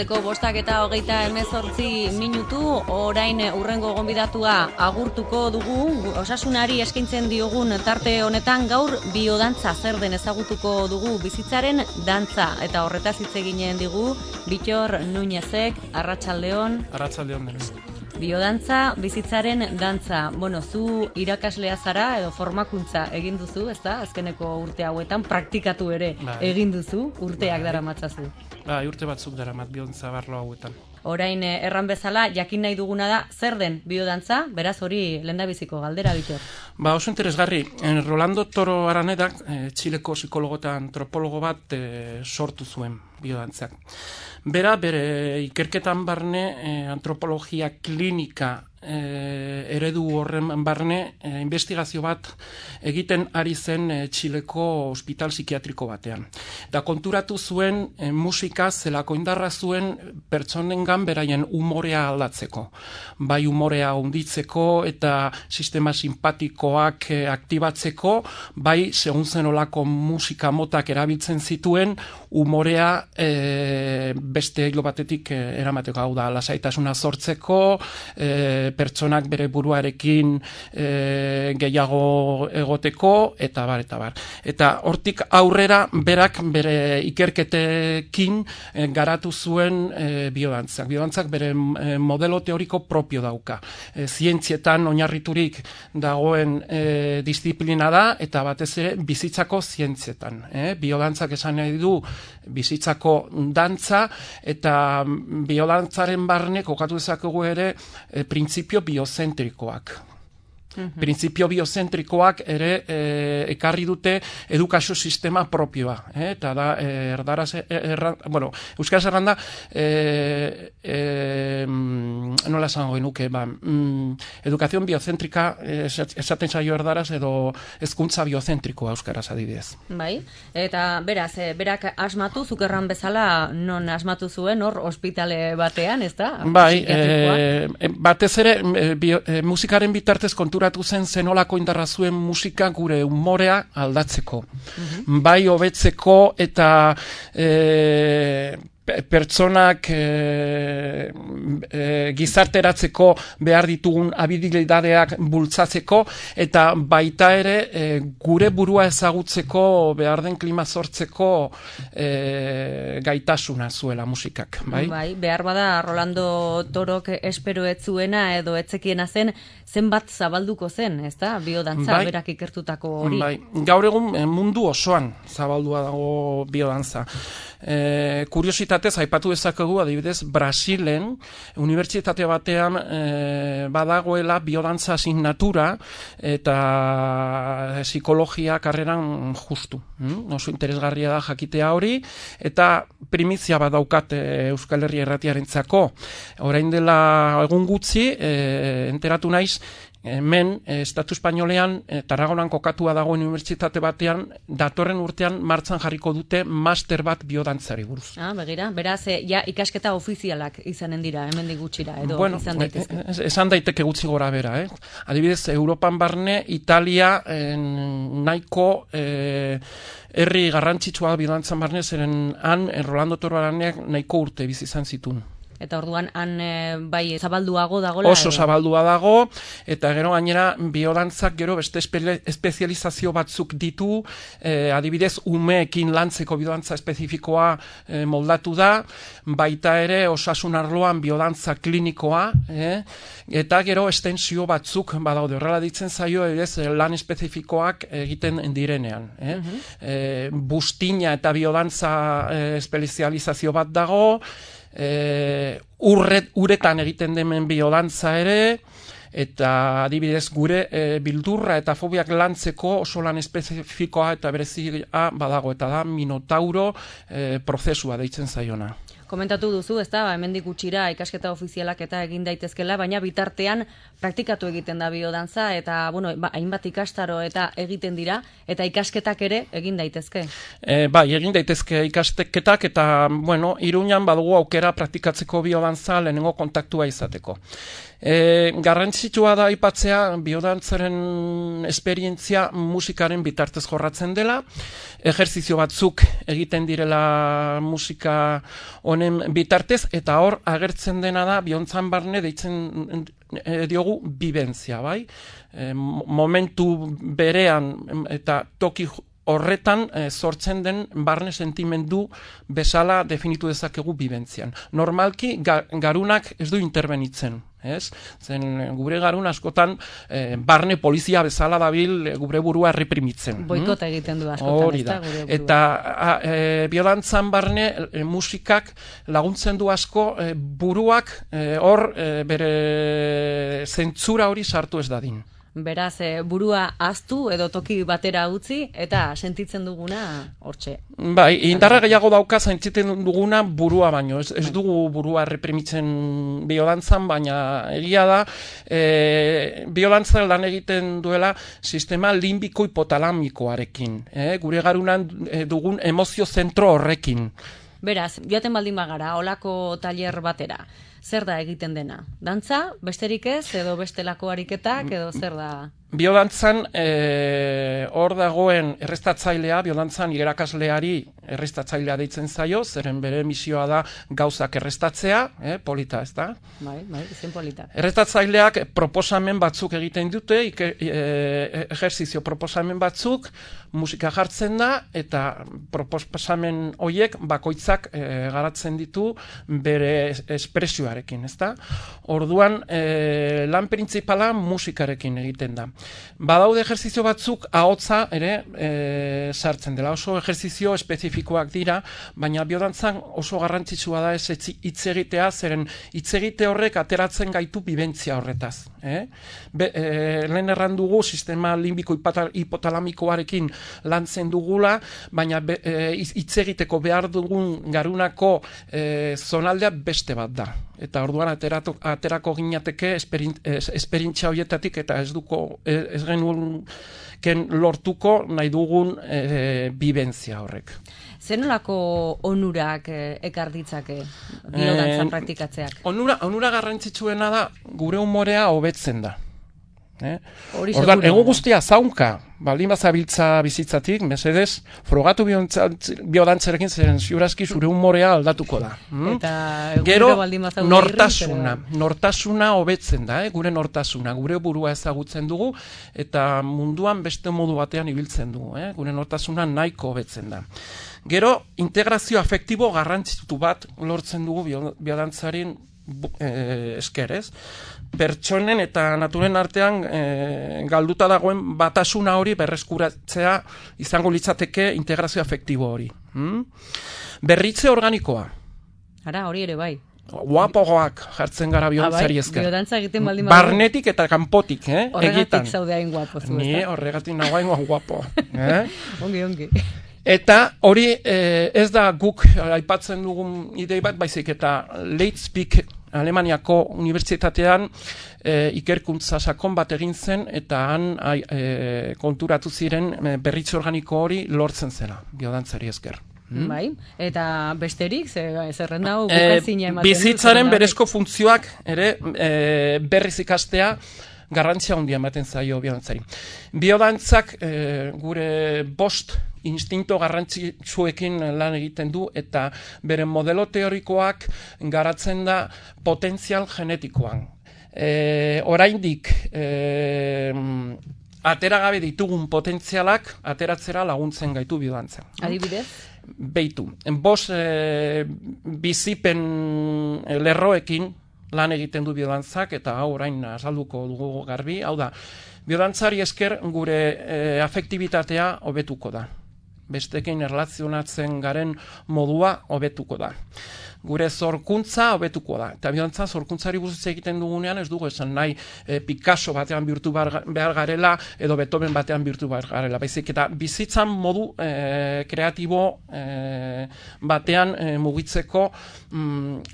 Arratsaldeko 5:28 orain hurrengo gonbidatua agurtuko dugu. Osasunari eskaintzen diogun tarte honetan gaur biodantza zer den ezagutuko dugu, bizitzaren dantza, eta horretaz hitz eginen digu Bittor Nuñezek. Arratsaldeon. Arratsaldeon denez. Biodantza, bizitzaren dantza. Zu irakaslea zara edo formakuntza egin duzu, ezta? Azkeneko urte hauetan praktikatu ere egin duzu, urteak daramatzazu. Urte batzuk daramat biodantza barlo hauetan. Orain erran bezala, jakin nahi duguna da, zer den biodantza? Beraz hori lehendabiziko galdera, Bittor. Oso interesgarri. Rolando Toro Aranedak, Txileko psikologo eta antropologo bat sortu zuen biodantzak. Bere ikerketan barne antropologia klinika eredu horren barne investigazio bat egiten ari zen Txileko ospital psikiatriko batean. Da konturatu zuen musika zelako indarra zuen pertsonengan beraien umorea aldatzeko. Bai umorea hunditzeko eta sistema simpatikoak aktibatzeko, bai segun zenolako musika motak erabiltzen zituen umorea beste hilo batetik eramateko, hau da, lasaitasuna sortzeko, pertsonak bere buruarekin gehiago egoteko, eta bar, eta bar. Eta hortik aurrera berak bere ikerketekin garatu zuen biodantzak. Biodantzak bere modelo teoriko propio dauka. Zientzietan oinarriturik dagoen disiplina da, eta batez ere bizitzako zientzietan. Biodantzak esan nahi du bizitzako dantza, eta biodantzaren barne kokatu dezakegu ere printzipio biozentrikoak. Printzipio biozentrikoak ere ekarri dute edukazio sistema propioa. Eta da, euskaraz erranda, nola esango genuke, edukazion biozentrika esaten zaio erdaraz edo hezkuntza biozentrikoa euskaraz adibidez. Bai, eta beraz, berak asmatu, zukerran bezala non asmatu zuen, hor ospitale batean, ez da? Bai, batez ere, musikaren bitartez konturatu zen zenolako indarra zuen musika gure umorea aldatzeko. Bai hobetzeko eta pertsonak gizarteratzeko behar ditugun habilidadeak bultzatzeko, eta baita ere gure burua ezagutzeko behar den klima sortzeko gaitasuna zuela musikak. Bai, behar bada Rolando Torok espero ez zuena edo etzekiena zen, zenbat zabalduko zen, ez da? Biodantza berak ikertutako hori. Bai, gaur egun mundu osoan zabaldua dago biodantza. Kuriositatez, aipatu dezakegu, adibidez, Brasilen, unibertsitate batean badagoela biodantza asignatura eta psikologia karreran justu. Oso interesgarria da jakitea hori, eta primizia badaukat Euskal Herria Irratiarentzako. Orain dela egun gutxi, enteratu naiz, hemen, Estatu Espainolean, Tarragonan kokatua dagoen unibertsitate batean, datorren urtean martxan jarriko dute master bat biodantzari buruz. Begira, beraz, ja ikasketa ofizialak izanen dira, hemendik gutxira, edo izan daitezke. Esan daiteke gutxi gora bera, Adibidez, Europan barne, Italia nahiko herri garrantzitsua biodantzan barne, zeren han, Rolando Toro Araneak nahiko urte bizi izan zituen. Eta orduan han bai zabalduago dagoela? Oso zabaldua dago, eta gero gainera biodantzak gero beste espezializazio batzuk ditu, adibidez umeekin lantzeko biodantza espezifikoa moldatu da, baita ere osasun arloan biodantza klinikoa, eta gero estensio batzuk badaude, horrela ditzen zaio lan espezifikoak egiten direnean. Bustina eta biodantza espezializazio bat dago, uretan egiten demen biodantza ere, eta adibidez gure bildurra eta fobiak lantzeko oso lan espezifikoa eta berezia badago, eta da Minotauro prozesua deitzen zaiona. Komentatu duzu, ez da, hemendik gutxira ikasketa ofizialak eta egin daitezkela, baina bitartean praktikatu egiten da biodantza, eta hainbat ikastaro eta egiten dira, eta ikasketak ere egin daitezke. Bai, egin daitezke ikasketak, eta Iruñan badugu aukera praktikatzeko biodantza lehenengo kontaktua izateko. Garrantzitsua da aipatzea biodantzaren esperientzia musikaren bitartez jorratzen dela, ejerzizio batzuk egiten direla musika honen honen bitartez, eta hor agertzen dena da, bihontzan barne deitzen diogu bibentzia, bai? Momentu berean eta toki horretan sortzen den barne sentimendu bezala definitu dezakegu bibentzian. Normalki garunak ez du interbenitzen, ez? Zen gure garun askotan barne polizia bezala dabil gure burua reprimitzen. Boikota egiten du askotan. Hori da. Eta biodantzan barne musikak laguntzen du asko buruak hor bere zentzura hori sartu ez dadin. Beraz, burua ahaztu edo toki batera utzi eta sentitzen duguna hortxe. Bai, indarra gehiago dauka sentitzen duguna burua baino. Ez dugu burua reprimitzen biodantzan, baina egia da biodantzan lan egiten duela sistema limbiko hipotalamikoarekin. Gure garunan dugun emozio zentro horrekin. Beraz, joaten baldin bagara, olako tailer batera. Zer da egiten dena? Dantza, besterik ez, edo bestelako ariketak, edo zer da? Biodantzan, hor dagoen errestatzailea, biodantzan irakasleari errestatzailea deitzen zaio, zeren bere misioa da gauzak errestatzea, polita ez da? Bai, izen polita. Errestatzaileak proposamen batzuk egiten dute, ejerzizio proposamen batzuk, musika jartzen da, eta proposamen horiek bakoitzak garatzen ditu bere espresioarekin, ez da? Orduan, lan printzipala musikarekin egiten da. Badaude ejerzizio batzuk ahotsa ere sartzen dela. Oso ejerzizio espezifikoak dira, baina biodantzan oso garrantzitsua da ez hitz egitea, zeren hitz egite horrek ateratzen gaitu bibentzia horretaz. Lehen erran dugu sistema limbiko hipotalamikoarekin lantzen dugula, baina hitz egiteko behar dugun garunako zonaldea beste bat da. Eta orduan aterako ginateke esperientzia horietatik eta ez genuen lortuko nahi dugun bibentzia horrek. Zenolako onurak ekar ditzake biodantzan praktikatzeak? Onura garrantzitsuena da gure umorea hobetzen da. Orduan, ego guztia zaunka, baldin bazabiltza bizitzatik, mesedez, frogatu biodantzarekin zeren ziurazki zure umorea aldatuko da. Gero, nortasuna hobetzen da, gure nortasuna, gure burua ezagutzen dugu, eta munduan beste modu batean ibiltzen dugu, gure nortasuna nahiko hobetzen da. Gero, integrazio afektibo garrantzitu bat lortzen dugu biodantzaren esker, ez? Pertsonen eta naturen artean galduta dagoen batasuna hori berreskuratzea izango litzateke integrazio afektibo hori. Berritze organikoa. Ara, hori ere bai. Guapogoak jartzen gara biodantzari esker. Biodantza egiten baldin barnetik eta kanpotik, horregatik zaude hain guapo zu, Ni horregatik nago hain guapo. Ongi. Eta hori ez da guk aipatzen dugun idei bat, baizik eta Leipzig Alemaniako unibertsitatean ikerkuntza sakon bat egin zen, eta han konturatu ziren berritze organiko hori lortzen zela, biodantzari esker. Bai, eta besterik, zerrenda hau bukazina ematen. Bizitzaren berezko funtzioak ere berriz ikastea garrantzia handia ematen zaio biodantzari. Biodantzak gure bost instinto garrantzitsuekin lan egiten du, eta bere modelo teorikoak garatzen da potentzial genetikoan. Oraindik ateragabe ditugun potentzialak ateratzera laguntzen gaitu biodantzan. Adibidez? Beitu. Bost bizipen lerroekin lan egiten du biodantzak, eta hau orain azalduko dugu garbi. Hau da, biodantzari esker gure afektibitatea hobetuko da. Bestekin erlazionatzen garen modua hobetuko da. Gure zorkuntza hobetuko da. Eta biodantzan zorkuntzari buruz egiten dugunean ez dugu esan nahi Picasso batean bihurtu behar garela edo Beethoven batean bihurtu behar garela. Baizik eta bizitzan modu kreatibo batean mugitzeko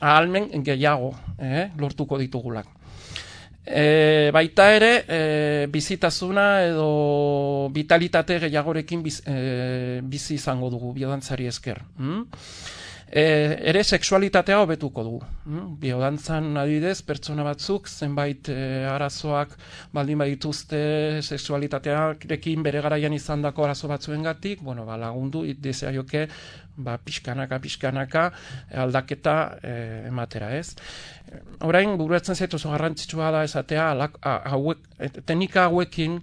ahalmen gehiago lortuko ditugulak. Baita ere, bizitasuna edo vitalitate gehiagorekin bizi izango dugu biodantzari esker. ere sexualitatea hobetuko du. Biodantzan adibidez, pertsona batzuk zenbait arazoak baldin badituzte sexualitatearekin bere garaian izandako arazo batzuengatik, lagundu dezaioke pixkanaka aldaketa ematera, ez? Orain, buruatzen zaitu oso garrantzitsua da esatea teknika hauekin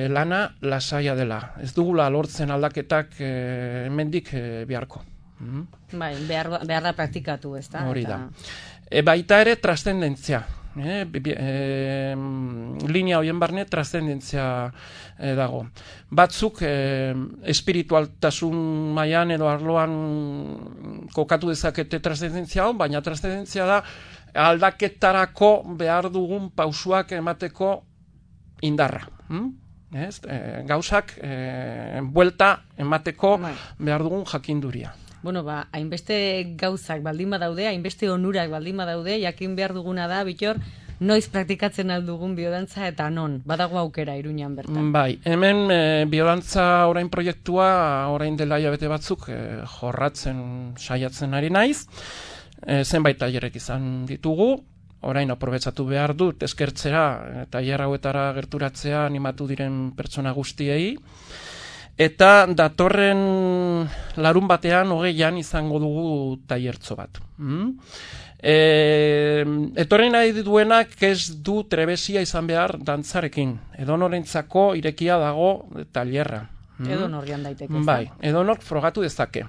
lana lasaia dela. Ez dugula lortzen aldaketak hemendik beharko. Bai, behar da praktikatu, ez da? Hori da. Baita ere trascendentzia. Linea horien barne trascendentzia dago. Batzuk espiritualtasun mailan edo arloan kokatu dezakete trascendentzia hau, baina trascendentzia da aldaketarako behar dugun pausuak emateko indarra. Gauzak buelta emateko behar dugun jakinduria. Hainbeste gauzak baldin badaude, hainbeste onurak baldin badaude, jakin behar duguna da, Bittor, noiz praktikatzen aldugun biodantza eta non, badago aukera Iruñan bertan. Bai, hemen biodantza orain proiektua, orain dela hilabete batzuk jorratzen saiatzen ari naiz, zenbait tailerrek izan ditugu, orain aprobetxatu behar dut, eskertzera, tailer hauetara gerturatzea animatu diren pertsona guztiei, eta datorren larun batean 20an izango dugu tailertxo bat. Etorri nahi duenak ez du trebesia izan behar dantzarekin. Edonorentzako irekia dago tailerra. Edonorian daiteke. Bai, edonor frogatu dezake.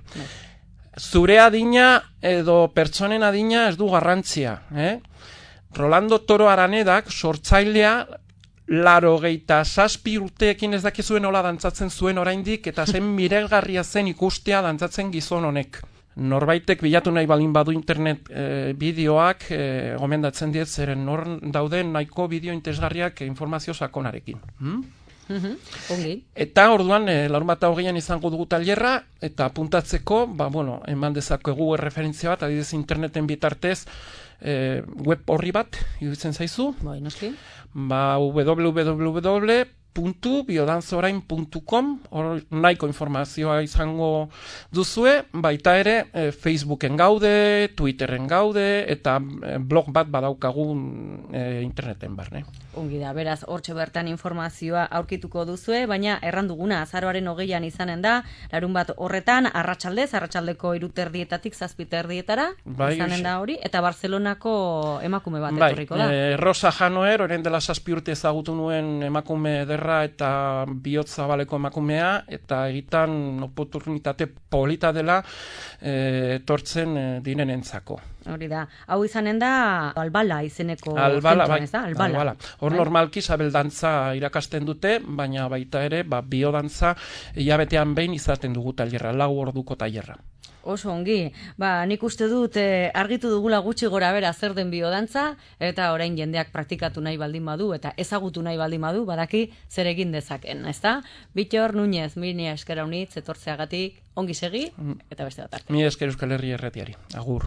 Zure adina edo pertsonen adina ez du garrantzia. Rolando Toro Aranedak sortzailea 87 urteekin ez dakizuen nola dantzatzen zuen oraindik, eta zen miregarria zen ikustea dantzatzen gizon honek. Norbaitek bilatu nahi baldin badu internet bideoak, gomendatzen diet zeren nor dauden nahiko bideo interesgarriak informazio sakonarekin. Eta orduan, larun bat 20an izango dugu tailerra, eta apuntatzeko, eman dezakegu referentzia bat, adibidez interneten bitartez, web horri bat, iruditzen zaizu? Bai, noski. www.biodanzorain.com, hor nahiko informazioa izango duzue, baita ere Facebooken gaude, Twitteren gaude, eta blog bat badaukagun interneten barne. Ongi da, beraz, hortxe bertan informazioa aurkituko duzue, baina erranduguna azaroaren 20an izanen da, larun bat horretan, arratsaldeko 3:30 7:30 izanen da hori, eta Barcelonako emakume bat etorriko da. Rosa Janoer, orain dela 7 urte ezagutu nuen emakume ederra eta bihotz zabaleko emakumea, eta egitan oportunitate polita dela etortzen direnentzako. Hori da. Hau izanen da Albala izeneko Albala, zentroan, ez da? Albala. Hor normalki sabeldantza irakasten dute, baina baita ere, biodantza hilabetean behin izaten dugu tailerra, 4 orduko tailerra. Oso ongi. Nik uste dut argitu dugula gutxi gora bera zer den biodantza, eta orain jendeak praktikatu nahi baldin badu, eta ezagutu nahi baldin badu, badaki zer egin dezaken, ez da? Bittor Núñez, mini eskera unitz, etortzeagatik, ongi segi, eta beste bat arte. Mi esker Euskal Herria Erratiari. Agur.